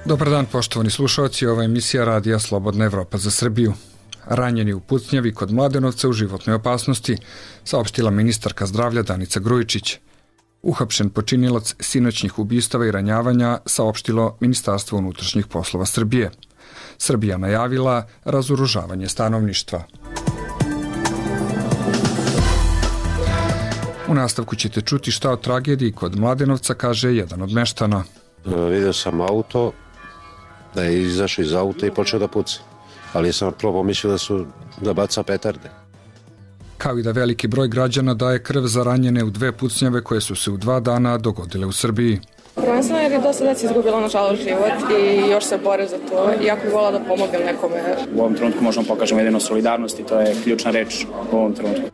Dobar dan, poštovani slušalci, ova emisija Radija Slobodna Evropa za Srbiju. Ranjeni u pucnjavi kod Mladenovca u životnoj opasnosti, saopštila ministarka zdravlja Danica Grujičić. Uhapšen počinilac sinoćnih ubistava i ranjavanja, saopštilo Ministarstvo unutrašnjih poslova Srbije. Srbija najavila razoružavanje stanovništva. U nastavku ćete čuti šta o tragediji kod Mladenovca kaže jedan od meštana. Vidio sam auto, da je izašao iz auta i počeo da puca. Ali sam prvo pomislio da baca petarde. Kao i da veliki broj građana daje krv za ranjene u dve pucnjave koje su se u 2 dana dogodile u Srbiji. Prvenstveno jer je dosta deci izgubilo nažalost život i još se bore za to. Iako bih volila da pomognem nekome. U ovom trenutku možemo pokažemo jedino solidarnost i to je ključna reč u ovom trenutku.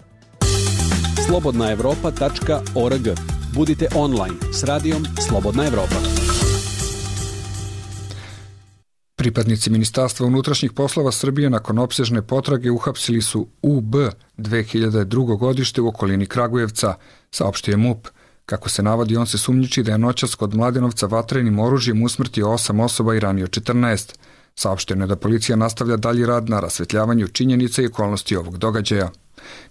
slobodnaevropa.org. Budite online s radijom Slobodna Evropa. Pripadnici Ministarstva unutrašnjih poslova Srbije nakon opsežne potrage uhapsili su UB 2002. godište u okolini Kragujevca, saopštio je MUP. Kako se navodi, on se sumnjiči da je noćas kod Mladenovca vatrenim oružjem usmrtio 8 osoba i ranio 14. Saopšteno je da policija nastavlja dalji rad na rasvetljavanju činjenica i okolnosti ovog događaja.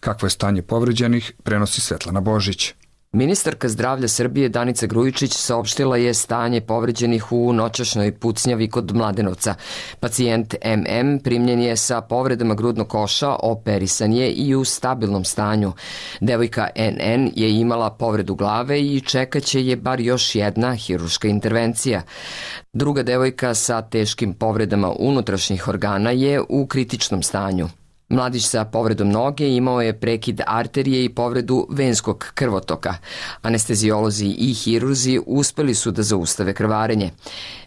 Kakvo je stanje povređenih, prenosi Svetlana Božić. Ministarka zdravlja Srbije Danica Grujičić saopštila je stanje povređenih u noćašnjoj pucnjavi kod Mladenovca. Pacijent MM primljen je sa povredama grudnog koša, operisan je i u stabilnom stanju. Devojka NN je imala povredu glave i čekaće je bar još jedna hirurška intervencija. Druga devojka sa teškim povredama unutrašnjih organa je u kritičnom stanju. Mladić sa povredom noge imao je prekid arterije i povredu venskog krvotoka. Anestezijolozi i hirurzi uspeli su da zaustave krvarenje.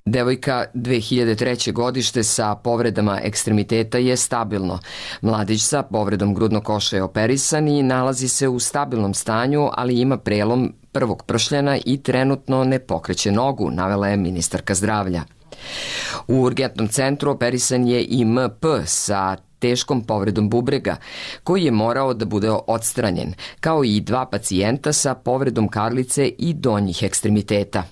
Devojka 2003. godište sa povredama ekstremiteta je stabilno. Mladić sa povredom grudnog koša je operisan i nalazi se u stabilnom stanju, ali ima prelom prvog pršljena i trenutno ne pokreće nogu, navela je ministarka zdravlja. U urgentnom centru operisan je i MP sa teškom povredom bubrega, koji je morao da bude odstranjen, kao i 2 pacijenta sa povredom karlice i donjih ekstremiteta.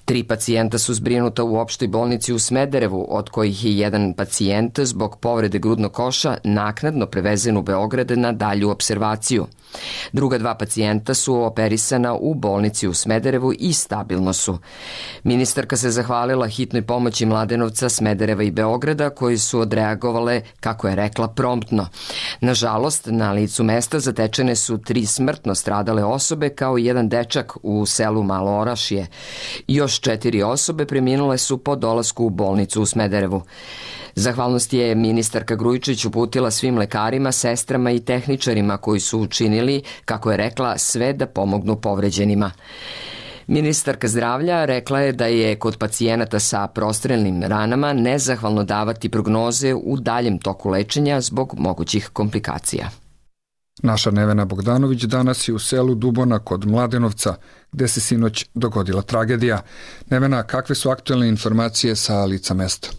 3 pacijenta su zbrinuta u opštoj bolnici u Smederevu, od kojih je jedan pacijent zbog povrede grudnog koša naknadno prevezen u Beograd na dalju observaciju. Druga 2 pacijenta su operisana u bolnici u Smederevu i stabilno su. Ministarka se zahvalila hitnoj pomoći Mladenovca, Smedereva i Beograda, koji su odreagovale, kako je rekla, promptno. Nažalost, na licu mesta zatečene su 3 smrtno stradale osobe, kao i jedan dečak u selu Malo Orašje. Još 4 osobe preminule su po dolasku u bolnicu u Smederevu. Zahvalnost je ministarka Grujičić uputila svim lekarima, sestrama i tehničarima koji su učinili, kako je rekla, sve da pomognu povređenima. Ministarka zdravlja rekla je da je kod pacijenata sa prostrelnim ranama nezahvalno davati prognoze u daljem toku lečenja zbog mogućih komplikacija. Naša Nevena Bogdanović danas je u selu Dubona kod Mladenovca, gde se sinoć dogodila tragedija. Nevena, kakve su aktuelne informacije sa lica mesta?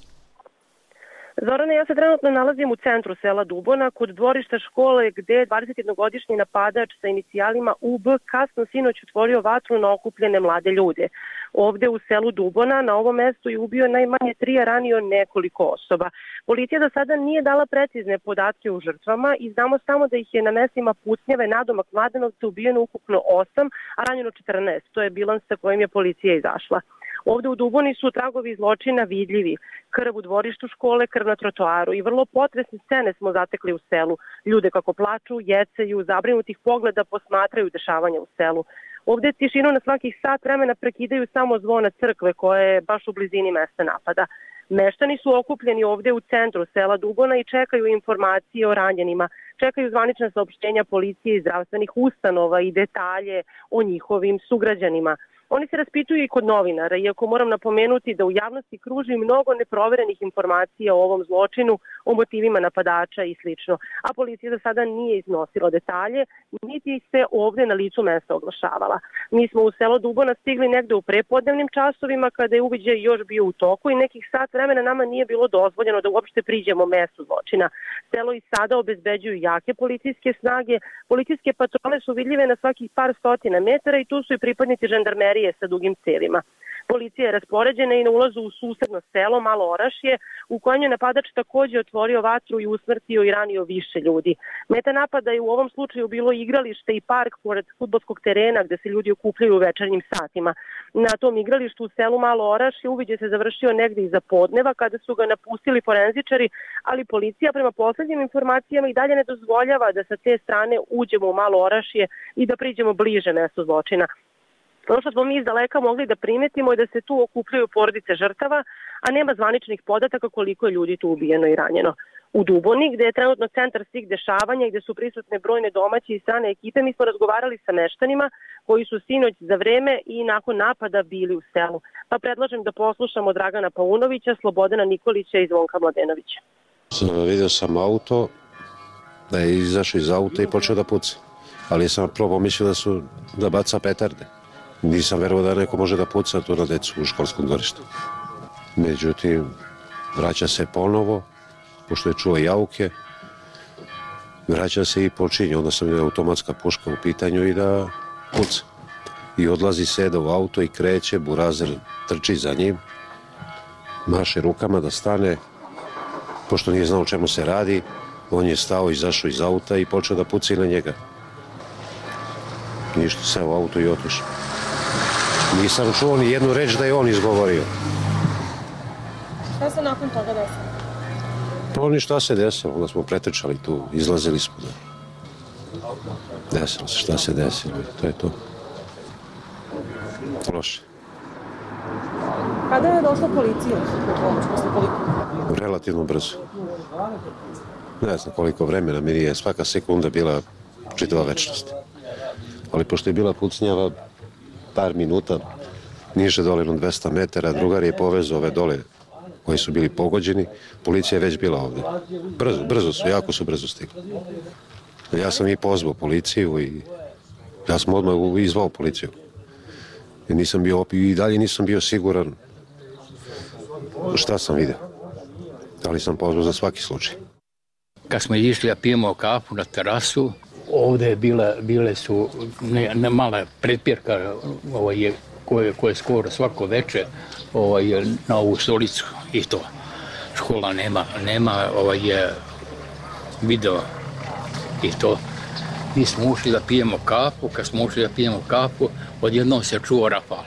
Zorane, ja se trenutno nalazim u centru sela Dubona, kod dvorišta škole gde 21-godišnji napadač sa inicijalima UB kasno sinoć otvorio vatru na okupljene mlade ljude. Ovde u selu Dubona na ovom mestu je ubio najmanje 3, a ranio nekoliko osoba. Policija do sada nije dala precizne podatke o žrtvama i znamo samo da ih je na mestima pucnjave nadomak Mladenovca ubijeno ukupno 8, a ranjeno 14. To je bilans sa kojim je policija izašla. Ovde u Duboni su tragovi zločina vidljivi. Krv u dvorištu škole, krv na trotoaru i vrlo potresne scene smo zatekli u selu. Ljude kako plaču, jecaju, zabrinutih pogleda posmatraju dešavanja u selu. Ovde tišinu na svakih sat vremena prekidaju samo zvona crkve koja je baš u blizini mesta napada. Meštani su okupljeni ovde u centru sela Dubona i čekaju informacije o ranjenima. Čekaju zvanična saopštenja policije i zdravstvenih ustanova i detalje o njihovim sugrađanima. Oni se raspituju i kod novinara, iako moram napomenuti da u javnosti kruži mnogo neproverenih informacija o ovom zločinu, o motivima napadača i slično. A policija do sada nije iznosila detalje, niti se ovde na licu mesta oglašavala. Mi smo u selo Dubona stigli negde u prepodnevnim časovima kada je uviđaj još bio u toku i nekih sat vremena nama nije bilo dozvoljeno da uopšte priđemo mestu zločina. Selo i sada obezbeđuju jake policijske snage, policijske patrole su vidljive na svakih par stotina metara i tu su i pripadnici žandarmerije sa dugim cevima. Policija je raspoređena i na ulazu u susedno selo Malo Orašje, u kojem je napadač takođe otvorio vatru i usmrtio i ranio više ljudi. Meta napada je u ovom slučaju bilo igralište i park pored fudbalskog terena gde se ljudi okupljaju u večernjim satima. Na tom igralištu u selu Malo Orašje uviđaj se završio negde iza podneva kada su ga napustili forenzičari, ali policija prema poslednjim informacijama i dalje ne dozvoljava da sa te strane uđemo u Malo Orašje i da priđemo bliže mestu zločina. Ono što smo mi iz daleka mogli da primetimo je da se tu okupljaju porodice žrtava, a nema zvaničnih podataka koliko je ljudi tu ubijeno i ranjeno. U Duboni, gde je trenutno centar svih dešavanja i gde su prisutne brojne domaće i strane ekipe, mi smo razgovarali sa meštanima koji su sinoć za vreme i nakon napada bili u selu. Pa predlažem da poslušamo Dragana Paunovića, Slobodana Nikolića i Zvonka Mladenovića. Vidio sam auto, da je izašao iz auta i počeo da puca. Ali sam prvo mislio da baca petarde. Nisam verovao da neko može da puca tu na decu u školskom dvorištu. Međutim, vraća se ponovo, pošto je čuo jauke, vraća se i počinje. Onda sam vidio automatska puška u pitanju i da puca. I odlazi, seda u auto i kreće, Burazer trči za njim, maše rukama da stane, pošto nije znao o čemu se radi, on je stao, izašao iz auta i počeo da puca i na njega. Ništa, seo u auto i otišao. Nisam čuo ni jednu reč da je on izgovorio. Šta se nakon toga desilo? Pa ništa se desilo, onda smo pretrčali tu, izlazili smo. Desilo se, šta se desilo, to je to. Loše. Kada je došla policija? Relativno brzo. Ne znam koliko vremena, mi je svaka sekunda bila čitava večnost. Ali pošto je bila pucnjava par minuta, niže dole na 200 metara, drugar je povezao ove dole koji su bili pogođeni, policija je već bila ovde. Brzo su, jako su brzo stigli. Ja sam i pozvao policiju i ja sam odmah izvao policiju. I dalje nisam bio siguran šta sam vidio. Ali sam pozvao za svaki slučaj. Kad smo išli da pijemo kafu na terasu, ovde bile su mala pretpjerka koje je skoro svako veče na ovu stolicu i to. Škola nema video i to. Mi smo ušli da pijemo kafu, kad smo ušli da pijemo kafu, odjednom se čuo rafal.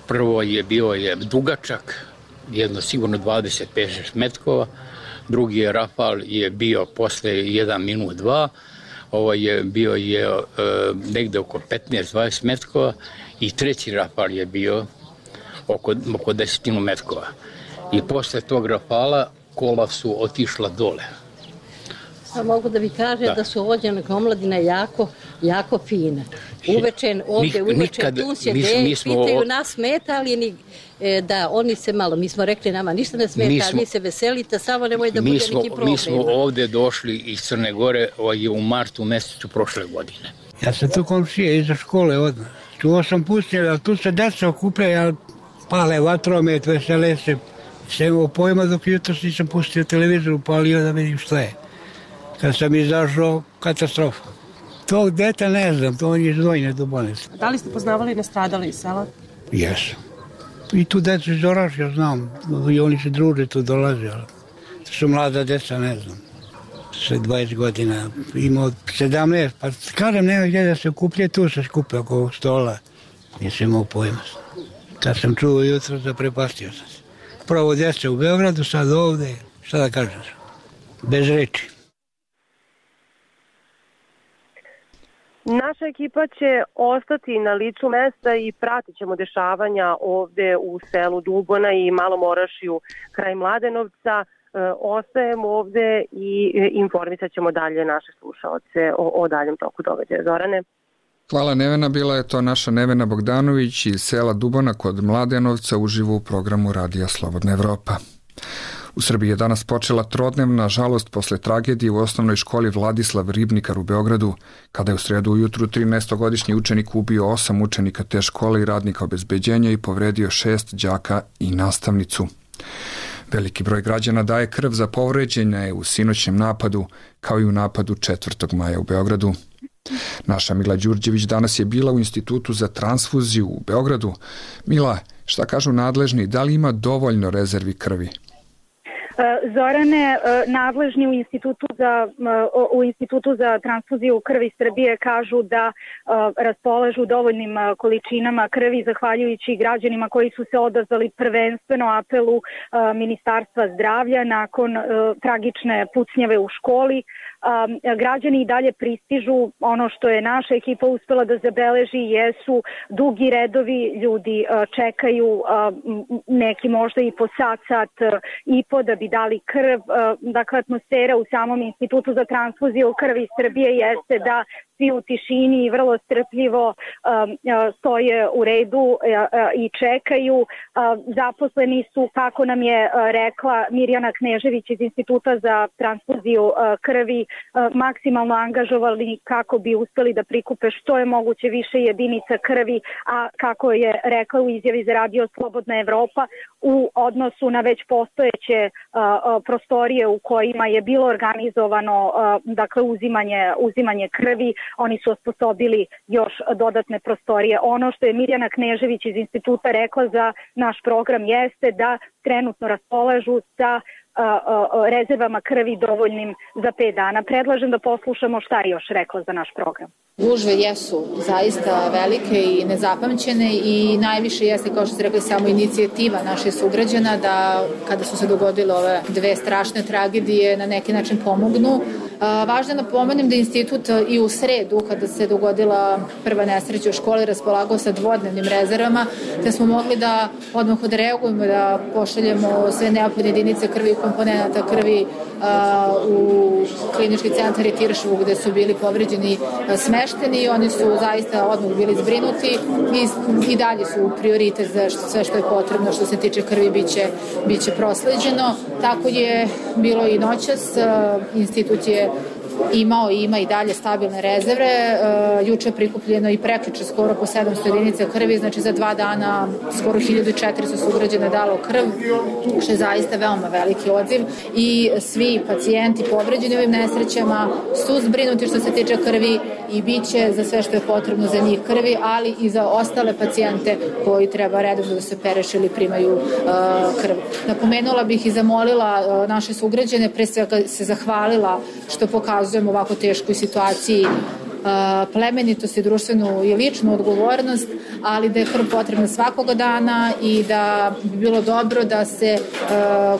Prvo je bio dugačak, jedno sigurno 25-6 metkova, drugi je rafal je bio posle 1 minut 2, bio je negde oko 15-20 metkova i treći rafal je bio oko 10 metkova. I posle tog rafala kola su otišla dole. Pa mogu da vi kažem da su ovođene omladina jako fina. Uveče tu sjede, pitaju nas smeta li da oni se malo, mi smo rekli nama ništa ne smeta, ali vi se veselite, samo nemoj da bude neki problem. Mi smo ovde došli iz Crne Gore u martu mesecu prošle godine. Ja sam tu komšije iza škole odmah. Čuo sam pustio, ali tu se deca okupljaju, pale vatromet, vesele se. Sem imao pojma dok jutro nisam pustio televizor, upalio da vidim šta je. Kad sam izašao, katastrofa. Tog deta ne znam, to on je iz Vojne do bolnice. Da li ste poznavali nastradali iz sela? Jesam. I tu decu iz Orašja znam, i oni se druže, tu dolaze, ali to su mlada deca, ne znam. Sve 20 godina, imao 17, pa kažem, nema gdje da se okuplje, tu se skupe oko ovog stola. Nisam imao pojma. Kad sam čuo jutro, zaprepastio sam se. Prvo djeca u Beogradu, sad ovde, šta da kažem, bez reči. Naša ekipa će ostati na licu mesta i pratit ćemo dešavanja ovde u selu Dubona i Malom Orašju kraj Mladenovca. Ostajemo ovde i informisat ćemo dalje naše slušaoce o daljem toku događaja. Zorane? Hvala Nevena, bila je to naša Nevena Bogdanović iz sela Dubona kod Mladenovca uživo u programu Radija Slobodna Evropa. U Srbiji je danas počela trodnevna žalost posle tragedije u osnovnoj školi Vladislav Ribnikar u Beogradu, kada je u sredu ujutru 13-godišnji učenik ubio 8 učenika te škole i radnika obezbeđenja i povredio 6 đaka i nastavnicu. Veliki broj građana daje krv za povređene u sinoćnjem napadu, kao i u napadu 4. maja u Beogradu. Naša Mila Đurđević danas je bila u Institutu za transfuziju u Beogradu. Mila, Šta kažu nadležni, da li ima dovoljno rezervi krvi? Zorane, nadležni u Institutu za transfuziju krvi Srbije kažu da raspolažu dovoljnim količinama krvi zahvaljujući građanima koji su se odazvali prvenstveno apelu Ministarstva zdravlja nakon tragične pucnjave u školi. Građani i dalje pristižu. Ono što je naša ekipa uspela da zabeleži jesu dugi redovi, ljudi čekaju, neki možda i po sat i po da bi dali krv. Dakle, atmosfera u samom Institutu za transfuziju krvi Srbije jeste da svi u tišini i vrlo strpljivo stoje u redu i čekaju. Zaposleni su, kako nam je rekla Mirjana Knežević iz Instituta za transfuziju krvi, maksimalno angažovali kako bi uspeli da prikupe što je moguće više jedinica krvi, a kako je rekla u izjavi za Radio Slobodna Evropa, u odnosu na već postojeće prostorije u kojima je bilo organizovano dakle uzimanje krvi, oni su osposobili još dodatne prostorije. Ono što je Mirjana Knežević iz instituta rekla za naš program jeste da trenutno raspolažu sa rezervama krvi dovoljnim za 5 dana. Predlažem da poslušamo šta je još rekla za naš program. Gužve jesu zaista velike i nezapamćene i najviše jeste, kao što ste rekli, samo inicijativa naših sugrađana da kada su se dogodile ove dve strašne tragedije na neki način pomognu. Važno je napomenem da institut i u sredu, kada se dogodila prva nesreća u školi, raspolagao sa dvodnevnim rezervama, te smo mogli da odmah odreagujemo, da pošaljemo sve neophodne jedinice krvi i komponenta krvi u klinički centar i Tiršovu gde su bili povređeni smešteni i oni su zaista odmah bili zbrinuti i dalje su prioritet za sve što je potrebno što se tiče krvi biće prosleđeno. Tako je bilo i noćas. Institut je imao i ima i dalje stabilne rezerve. Juče je prikupljeno i prekjuče skoro po 700 jedinica krvi, znači za 2 dana skoro 1400 sugrađana dalo krv, što je zaista veoma veliki odziv i svi pacijenti povređeni ovim nesrećama su zbrinuti što se tiče krvi i bit će za sve što je potrebno za njih krvi, ali i za ostale pacijente koji treba redovno da se operešu ili primaju krv. Napomenula bih i zamolila naše sugrađane, pre svega se zahvalila što pokazujemo ovako teškoj situaciji plemenitost i društvenu i ličnu odgovornost, ali da je krv potrebna svakoga dana i da bi bilo dobro da se,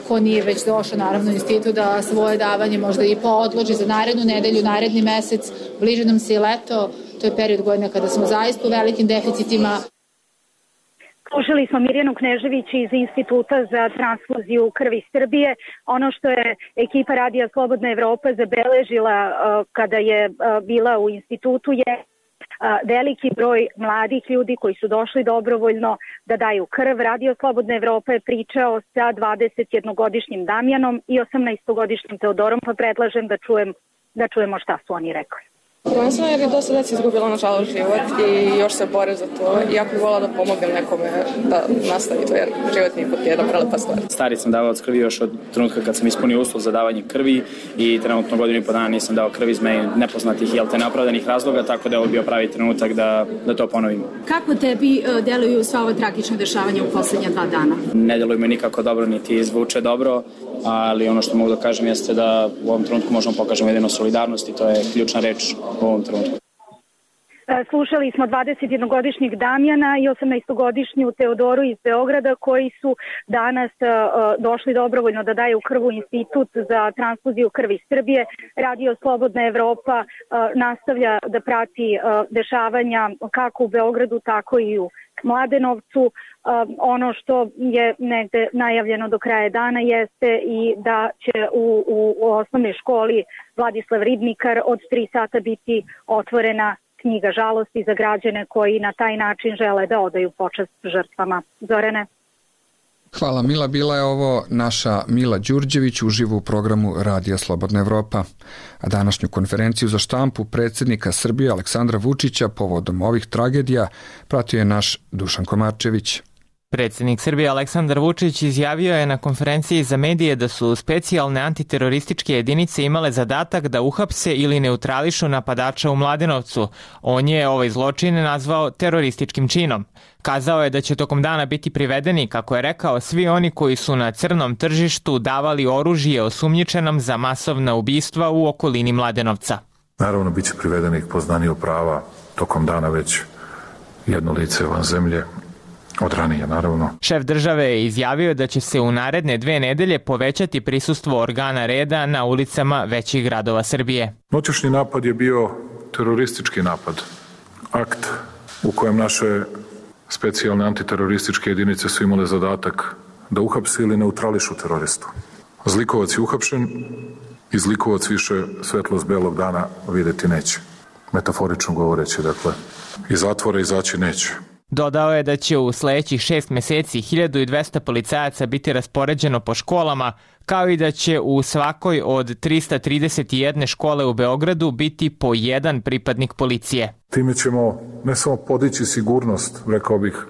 ko nije već došao naravno u institut, da svoje davanje možda i poodloži za narednu nedelju, naredni mesec, bliže nam se i leto, to je period godine kada smo zaista u velikim deficitima. Slušali smo Mirjanu Knežević iz Instituta za transfuziju krvi Srbije. Ono što je ekipa Radija Slobodna Evropa zabeležila kada je bila u institutu je veliki broj mladih ljudi koji su došli dobrovoljno da daju krv. Radio Slobodna Evropa je pričao sa 21-godišnjim Damjanom i 18-godišnjim Teodorom, pa predlažem da čujemo šta su oni rekli. Prvenstveno jer je dosta deci izgubilo nažalost život i još se bore za to. Jako bih volila da pomognem nekome da nastavi to jer život nije put jedna prelepa stvar. Stari sam davalac krvi još od trenutka kad sam ispunio uslov za davanje krvi i trenutno 1.5 godina nisam dao krvi iz meni nepoznatih i neopravdanih razloga, tako da je ovo bio pravi trenutak da to ponovim. Kako tebi deluju sva ova tragična dešavanja u poslednja 2 dana? Ne deluju me nikako dobro, niti zvuče dobro, ali ono što mogu da kažem jeste da u ovom trenutku možemo pokažemo jedino solidarnost i to je ključna reč u ovom trenutku. Slušali smo 21-godišnjeg Damjana i 18-godišnju Teodoru iz Beograda koji su danas došli dobrovoljno da daju krv u Institut za transfuziju krvi Srbije. Radio Slobodna Evropa nastavlja da prati dešavanja kako u Beogradu, tako i u Mladenovcu. Ono što je negde najavljeno do kraja dana jeste i da će u osnovnoj školi Vladislav Ribnikar od 3 sata biti otvorena knjiga žalosti za građane koji na taj način žele da odaju počast žrtvama. Zorane? Hvala Mila, bila je ovo naša Mila Đurđević uživo u programu Radija Slobodna Evropa. A današnju konferenciju za štampu predsjednika Srbije Aleksandra Vučića povodom ovih tragedija pratio je naš Dušan Komarčević. Predsjednik Srbije Aleksandar Vučić izjavio je na konferenciji za medije da su specijalne antiterorističke jedinice imale zadatak da uhapse ili neutrališu napadača u Mladenovcu. On je ovaj zločin nazvao terorističkim činom. Kazao je da će tokom dana biti privedeni, kako je rekao, svi oni koji su na crnom tržištu davali oružje osumnjičenom za masovna ubistva u okolini Mladenovca. Naravno, bit će privedenih poznaniju prava tokom dana već jedno lice van zemlje. Od ranije, naravno. Šef države je izjavio da će se u naredne 2 nedelje povećati prisustvo organa reda na ulicama većih gradova Srbije. Noćašnji napad je bio teroristički napad. Akt u kojem naše specijalne antiterorističke jedinice su imale zadatak da uhapse ili neutrališu teroristu. Zlikovac je uhapšen i zlikovac više svetlost belog dana videti neće. Metaforično govoreći, dakle, iz zatvora izaći neće. Dodao je da će u sledećih 6 meseci 1200 policajaca biti raspoređeno po školama, kao i da će u svakoj od 331 škole u Beogradu biti po jedan pripadnik policije. Time ćemo ne samo podići sigurnost, rekao bih,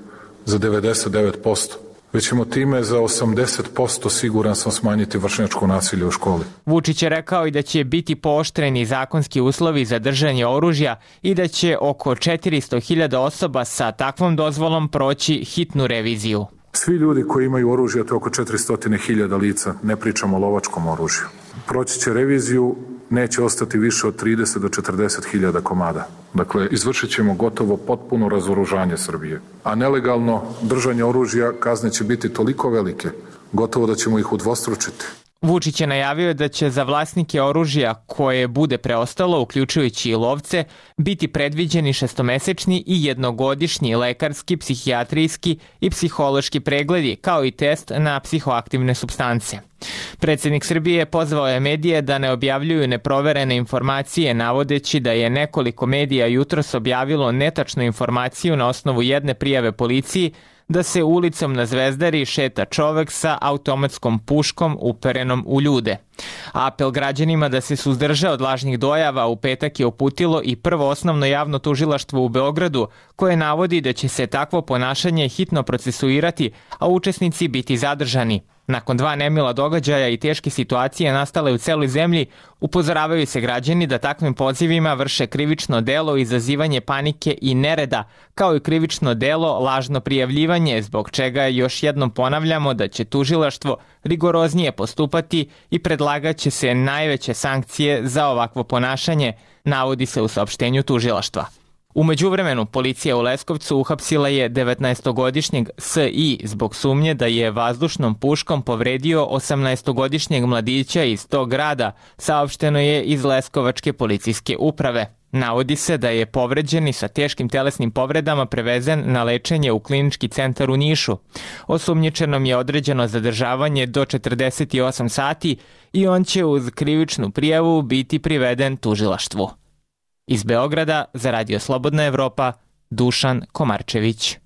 za 99%, već ćemo time za 80% siguran sam smanjiti vršnjačko nasilje u školi. Vučić je rekao i da će biti pooštreni zakonski uslovi za držanje oružja i da će oko 400.000 osoba sa takvom dozvolom proći hitnu reviziju. Svi ljudi koji imaju oružje, to je oko 400.000 lica, ne pričamo o lovačkom oružju. Proći će reviziju, neće ostati više od 30 do 40.000 komada. Dakle, izvršit ćemo gotovo potpuno razoružanje Srbije. A nelegalno držanje oružja kazne će biti toliko velike, gotovo da ćemo ih udvostručiti. Vučić je najavio da će za vlasnike oružja koje bude preostalo, uključujući i lovce, biti predviđeni 6-mesečni i 1-godišnji lekarski, psihijatrijski i psihološki pregledi, kao i test na psihoaktivne supstance. Predsjednik Srbije pozvao je medije da ne objavljuju neproverene informacije, navodeći da je nekoliko medija jutros objavilo netačnu informaciju na osnovu jedne prijave policiji da se ulicom na Zvezdari šeta čovek sa automatskom puškom uperenom u ljude. Apel građanima da se suzdrže od lažnih dojava u petak je uputilo i Prvo osnovno javno tužilaštvo u Beogradu, koje navodi da će se takvo ponašanje hitno procesuirati, a učesnici biti zadržani. Nakon 2 nemila događaja i teške situacije nastale u celoj zemlji, upozoravaju se građani da takvim pozivima vrše krivično delo izazivanje panike i nereda, kao i krivično delo lažno prijavljivanje, zbog čega još jednom ponavljamo da će tužilaštvo rigoroznije postupati i predlagaće se najveće sankcije za ovakvo ponašanje, navodi se u saopštenju tužilaštva. U međuvremenu, policija u Leskovcu uhapsila je 19-godišnjeg S.I. zbog sumnje da je vazdušnom puškom povredio 18-godišnjeg mladića iz tog grada, saopšteno je iz Leskovačke policijske uprave. Navodi se da je povređeni sa teškim telesnim povredama prevezen na lečenje u klinički centar u Nišu. Osumnjičenom je određeno zadržavanje do 48 sati i on će uz krivičnu prijavu biti priveden tužilaštvu. Iz Beograda za Radio Slobodna Evropa, Dušan Komarčević.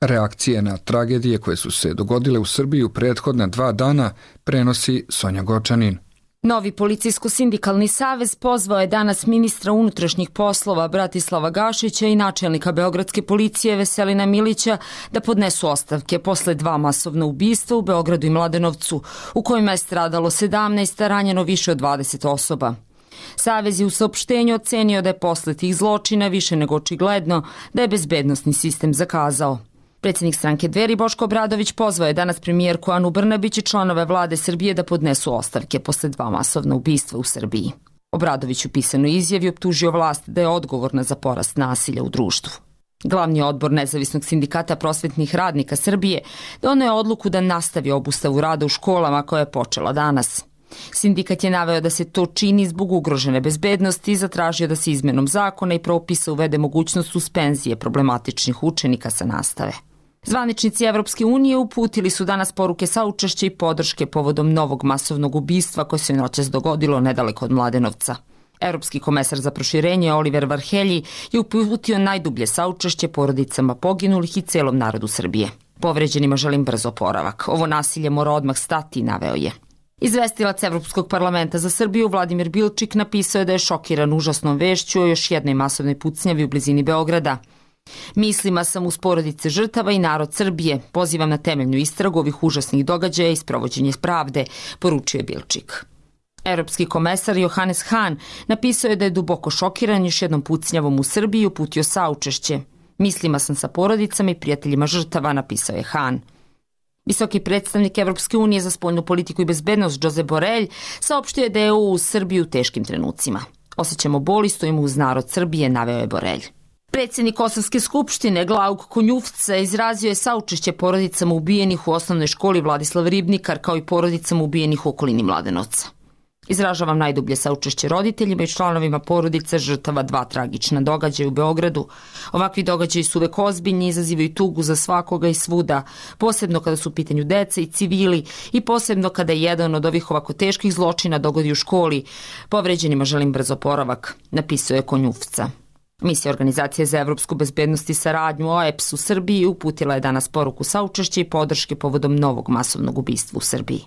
Reakcije na tragedije koje su se dogodile u Srbiji u prethodna 2 dana prenosi Sonja Gočanin. Novi policijsko-sindikalni savez pozvao je danas ministra unutrašnjih poslova Bratislava Gašića i načelnika Beogradske policije Veselina Milića da podnesu ostavke posle 2 masovna ubistva u Beogradu i Mladenovcu, u kojima je stradalo 17, a ranjeno više od 20 osoba. Savez je u saopštenju ocenio da je posle tih zločina više nego očigledno da je bezbednosni sistem zakazao. Predsjednik stranke Dveri Boško Obradović pozvao je danas premijerku Anu Brnabić i članove vlade Srbije da podnesu ostavke posle 2 masovna ubistva u Srbiji. Obradović u pisanoj izjavi optužio vlast da je odgovorna za porast nasilja u društvu. Glavni odbor Nezavisnog sindikata prosvetnih radnika Srbije doneo je odluku da nastavi obustavu rada u školama koja je počela danas. Sindikat je naveo da se to čini zbog ugrožene bezbednosti i zatražio da se izmenom zakona i propisa uvede mogućnost suspenzije problematičnih učenika sa nastave. Zvaničnici Evropske unije uputili su danas poruke saučešća i podrške povodom novog masovnog ubistva koje se noćas dogodilo nedaleko od Mladenovca. Evropski komesar za proširenje Oliver Varhelji je uputio najdublje saučešće porodicama poginulih i celom narodu Srbije. Povređenima želim brz oporavak. Ovo nasilje mora odmah stati, naveo je. Izvestilac Evropskog parlamenta za Srbiju Vladimir Bilčik napisao je da je šokiran užasnom vešću o još jednoj masovnoj pucnjavi u blizini Beograda. Mislima sam uz porodice žrtava i narod Srbije. Pozivam na temeljnu istragu ovih užasnih događaja i sprovođenje pravde, poručio je Bilčik. Europski komesar Johannes Hahn napisao je da je duboko šokiran još jednom pucnjavom u Srbiji i uputio saučešće. Mislima sam sa porodicama i prijateljima žrtava, napisao je Hahn. Visoki predstavnik Evropske unije za spoljnu politiku i bezbednost Josep Borrell saopštio je da je EU uz Srbiju u teškim trenucima. Osjećamo bol i stojimo uz narod Srbije, naveo je Borrell. Predsjednik Kosovske skupštine Glauk Konjufca izrazio je saučešće porodicama ubijenih u osnovnoj školi Vladislav Ribnikar kao i porodicama ubijenih u okolini Mladenovca. Izražavam najdublje saučešće roditeljima i članovima porodice žrtava 2 tragična događaja u Beogradu. Ovakvi događaji su uvek ozbiljni i izazivaju tugu za svakoga i svuda, posebno kada su u pitanju deca i civili i posebno kada je jedan od ovih ovako teških zločina dogodi u školi. Povređenima želim brz oporavak, napisao je Konjufca. Misija Organizacije za evropsku bezbednost i saradnju OEBS u Srbiji uputila je danas poruku saučešća i podrške povodom novog masovnog ubistva u Srbiji.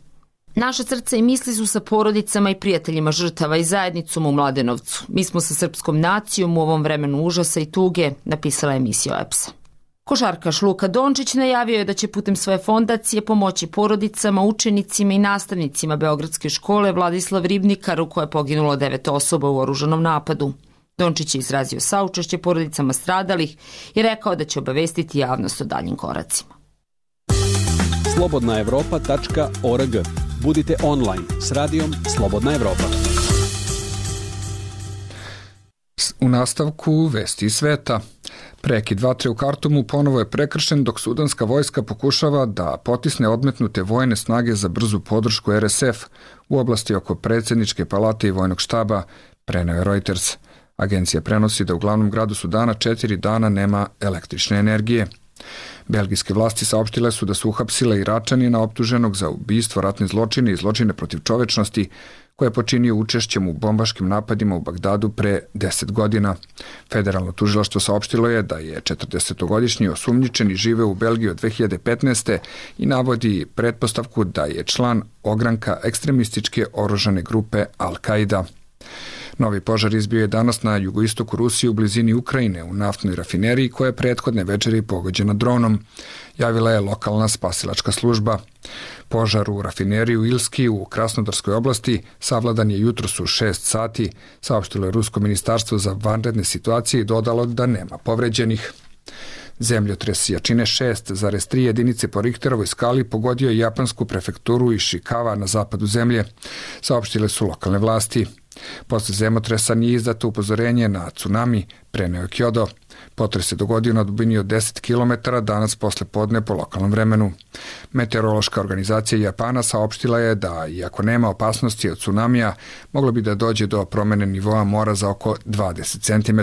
Naša srca i misli su sa porodicama i prijateljima žrtava i zajednicom u Mladenovcu. Mi smo sa srpskom nacijom u ovom vremenu užasa i tuge, napisala je misija OEBS-a. Košarkaš Luka Dončić najavio je da će putem svoje fondacije pomoći porodicama, učenicima i nastavnicima Beogradske škole Vladislav Ribnikar u kojoj je poginulo 9 osoba u oružanom napadu. Dončić je izrazio saučešće porodicama stradalih i rekao da će obavestiti javnost o daljim koracima. slobodnaevropa.org. Budite online s radijom Slobodna Evropa. U nastavku vesti iz sveta. Prekid vatre u Kartumu ponovo je prekršen dok sudanska vojska pokušava da potisne odmetnute vojne snage za brzu podršku RSF u oblasti oko predsjedničke palate i vojnog štaba, preneo je Reuters. Agencija prenosi da u glavnom gradu Sudana 4 dana nema električne energije. Belgijske vlasti saopštile su da su uhapsile Iračanina optuženog za ubistvo, ratne zločine i zločine protiv čovečnosti koje je počinio učešćem u bombaškim napadima u Bagdadu pre 10 godina. Federalno tužilaštvo saopštilo je da je 40-godišnji osumnjičeni žive u Belgiji od 2015. i navodi pretpostavku da je član ogranka ekstremističke oružane grupe Al-Qaida. Novi požar izbio je danas na jugoistoku Rusije u blizini Ukrajine u naftnoj rafineriji koja je prethodne večeri pogođena dronom, javila je lokalna spasilačka služba. Požar u rafineriji u Ilski u Krasnodarskoj oblasti savladan je jutros u 6 sati, saopštilo je Rusko ministarstvo za vanredne situacije i dodalo da nema povređenih. Zemljotres jačine 6,3 jedinice po Richterovoj skali pogodio je japansku prefekturu Ishikawa na zapadu zemlje, saopštile su lokalne vlasti. Posle zemljotresa nije izdato upozorenje na tsunami, preneo je Kyodo. Potres se dogodio na dubini od 10 km danas posle podne po lokalnom vremenu. Meteorološka organizacija Japana saopštila je da, iako nema opasnosti od tsunamija, moglo bi da dođe do promene nivoa mora za oko 20 cm.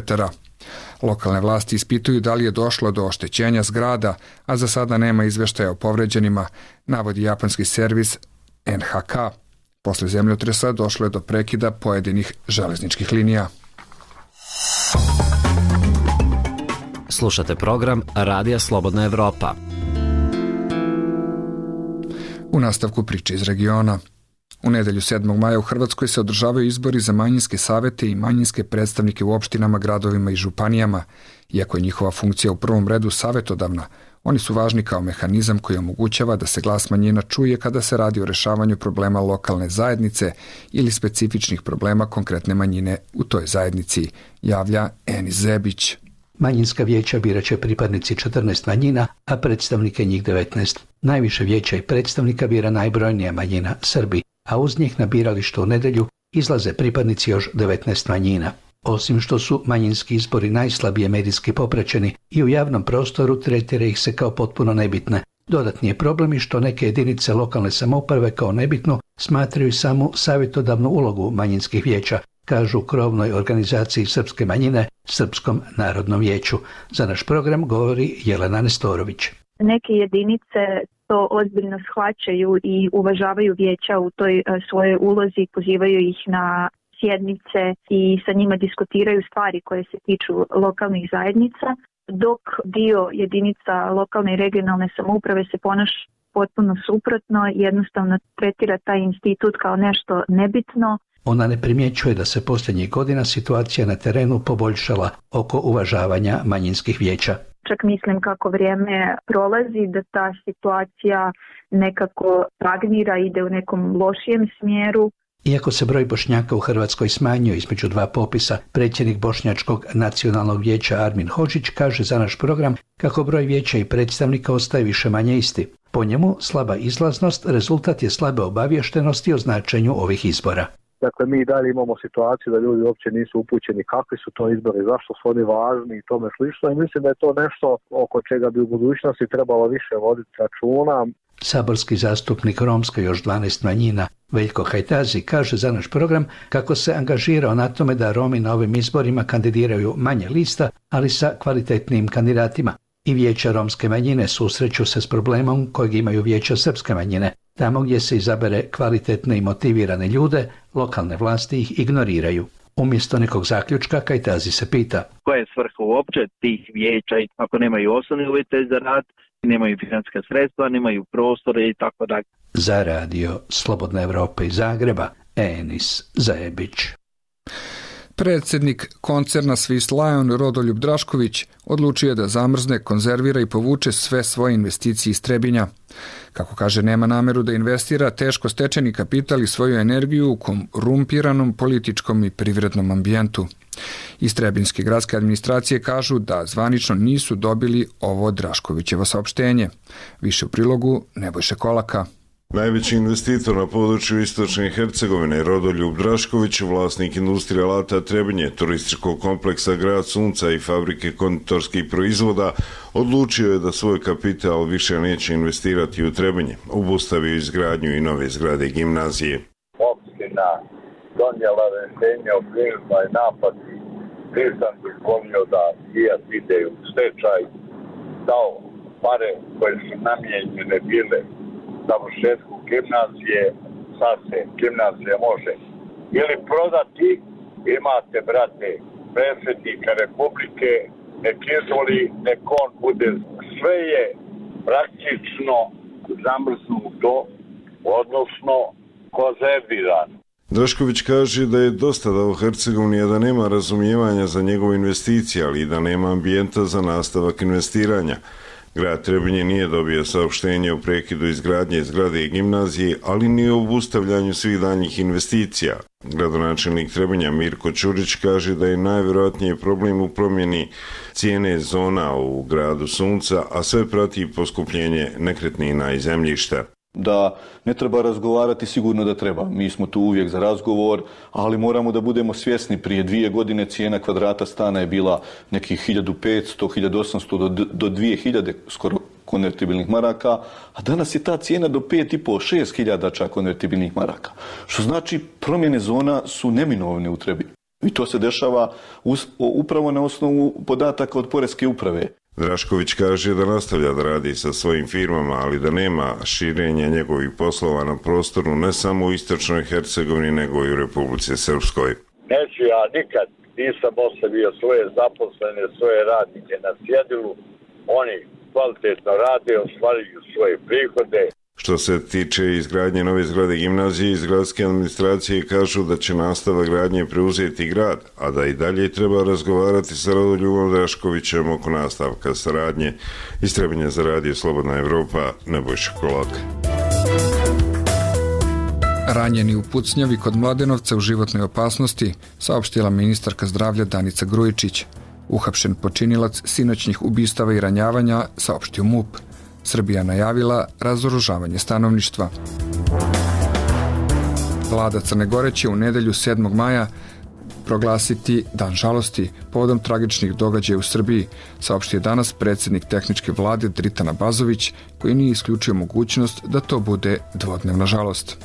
Lokalne vlasti ispituju da li je došlo do oštećenja zgrada, a za sada nema izveštaja o povređenima, navodi japanski servis NHK. Posle zemljotresa došlo je do prekida pojedinih železničkih linija. Slušate program Radija Slobodna Evropa. U nastavku priče iz regiona. U nedelju 7. maja u Hrvatskoj se održavaju izbori za manjinske savete i manjinske predstavnike u opštinama, gradovima i županijama. Iako je njihova funkcija u prvom redu savetodavna, oni su važni kao mehanizam koji omogućava da se glas manjina čuje kada se radi o rešavanju problema lokalne zajednice ili specifičnih problema konkretne manjine u toj zajednici, javlja Enis Zebić. Manjinska vijeća biraće pripadnici 14 manjina, a predstavnike njih 19. Najviše vijeća i predstavnika bira najbrojnija manjina, Srbi, a uz njih na biralištu u nedelju izlaze pripadnici još 19 manjina. Osim što su manjinski izbori najslabije medijski popraćeni i u javnom prostoru tretira ih se kao potpuno nebitne. Dodatni je problem i što neke jedinice lokalne samouprave kao nebitnu smatraju samo savjetodavnu ulogu manjinskih vijeća, kažu u krovnoj organizaciji srpske manjine, Srpskom narodnom vijeću. Za naš program govori Jelena Nestorović. Neke jedinice to ozbiljno shvaćaju i uvažavaju vijeća u toj svojoj ulozi, pozivaju ih na sjednice i sa njima diskutiraju stvari koje se tiču lokalnih zajednica, dok dio jedinica lokalne i regionalne samouprave se ponaša potpuno suprotno, jednostavno tretira taj institut kao nešto nebitno. Ona ne primjećuje da se posljednjih godina situacija na terenu poboljšala oko uvažavanja manjinskih vijeća. Čak mislim kako vrijeme prolazi da ta situacija nekako stagnira, ide u nekom lošijem smjeru. Iako se broj Bošnjaka u Hrvatskoj smanjio između dva popisa, predsjednik Bošnjačkog nacionalnog vijeća Armin Hodžić kaže za naš program kako broj vijeća i predstavnika ostaje više manje isti. Po njemu, slaba izlaznost rezultat je slabe obaviještenosti o značenju ovih izbora. Dakle, mi dalje imamo situaciju da ljudi uopće nisu upućeni kakvi su to izbori, zašto su oni važni i tome slično. I mislim da je to nešto oko čega bi u budućnosti trebalo više voditi računa. Saborski zastupnik romske još 12 manjina Veljko Hajtazi kaže za naš program kako se angažirao na tome da Romi na ovim izborima kandidiraju manje lista, ali sa kvalitetnim kandidatima. I vijeća romske manjine susreću se s problemom kojeg imaju vijeća srpske manjine. Tamo gdje se izabere kvalitetne i motivirane ljude, lokalne vlasti ih ignoriraju. Umjesto nekog zaključka, Kajtazi se pita: koja je svrha uopće tih vijeća ako nemaju osnovne uvjete za rad, nemaju financijska sredstva, nemaju prostore i tako dalje. Za radio Slobodna Evropa iz Zagreba, Enis Zajebić. Predsjednik koncerna Swiss Lion Rodoljub Drašković odlučio je da zamrzne, konzervira i povuče sve svoje investicije iz Trebinja. Kako kaže, nema nameru da investira teško stečeni kapital i svoju energiju u korumpiranom političkom i privrednom ambijentu. Iz Trebinjske gradske administracije kažu da zvanično nisu dobili ovo Draškovićevo saopštenje. Više u prilogu Nebojše Kolaka. Najveći investitor na području istočne Hercegovine, Rodoljub Drašković, vlasnik industrije alata Trebinje, turističkog kompleksa Grad Sunca i fabrike konditorskih proizvoda, odlučio je da svoj kapital više neće investirati u Trebinje. Obustavio izgradnju i nove zgrade gimnazije. Opština donijela rješenje o prinudnoj naplati. Nisam dozvolio da Fijat ide u stečaj, dao pare koje su namijenjene bile završetku gimnazije, sad se gimnazija može ili prodati. Imate, brate, predsjednika Republike, nek izvoli, nek on bude, sve je praktično zamrznuto, odnosno konzervirano. Drašković kaže da je dosta dao Hercegovini, a da nema razumijevanja za njegove investicije, ali i da nema ambijenta za nastavak investiranja. Grad Trebinje nije dobio saopštenje o prekidu izgradnje zgrade i gimnazije, ali ni o obustavljanju svih daljnjih investicija. Gradonačelnik Trebinja Mirko Ćurić kaže da je najvjerojatnije problem u promjeni cijene zona u Gradu Sunca, a sve prati poskupljenje nekretnina i zemljišta. Da ne treba razgovarati, sigurno da treba. Mi smo tu uvijek za razgovor, ali moramo da budemo svjesni. Prije 2 godine cijena kvadrata stana je bila nekih 1500, 1800 do 2000 skoro konvertibilnih maraka, a danas je ta cijena do 5,5, 6.000 čak konvertibilnih maraka. Što znači promjene zona su neminovne u Trebinju. I to se dešava upravo na osnovu podataka od Poreske uprave. Drašković kaže da nastavlja da radi sa svojim firmama, ali da nema širenja njegovih poslova na prostoru ne samo u istočnoj Hercegovini, nego i u Republici Srpskoj. Neću ja nikad, nisam ostavio svoje zaposlene, svoje radnike na cjedilu, oni kvalitetno rade, ostvaruju svoje prihode. Što se tiče izgradnje nove zgrade gimnazije, iz gradske administracije kažu da će nastavak gradnje preuzeti grad, a da i dalje treba razgovarati sa Rodoljubom Draškovićem oko nastavka saradnje. Iz Trebinja za radio Slobodna Evropa, Nebojša Kolak. Ranjeni u pucnjavi kod Mladenovca u životnoj opasnosti, saopštila ministarka zdravlja Danica Grujičić. Uhapšen počinilac sinoćnih ubistava i ranjavanja, saopštio MUP. Srbija najavila razoružavanje stanovništva. Vlada Crne Gore će u nedelju 7. maja proglasiti Dan žalosti povodom tragičnih događaja u Srbiji, saopštio danas predsjednik tehničke vlade Dritan Abazović, koji nije isključio mogućnost da to bude dvodnevna žalost.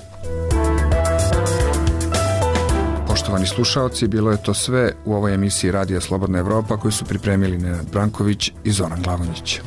Poštovani slušaoci, bilo je to sve u ovoj emisiji Radija Slobodna Evropa koju su pripremili Nenad Branković i Zoran Glavonić.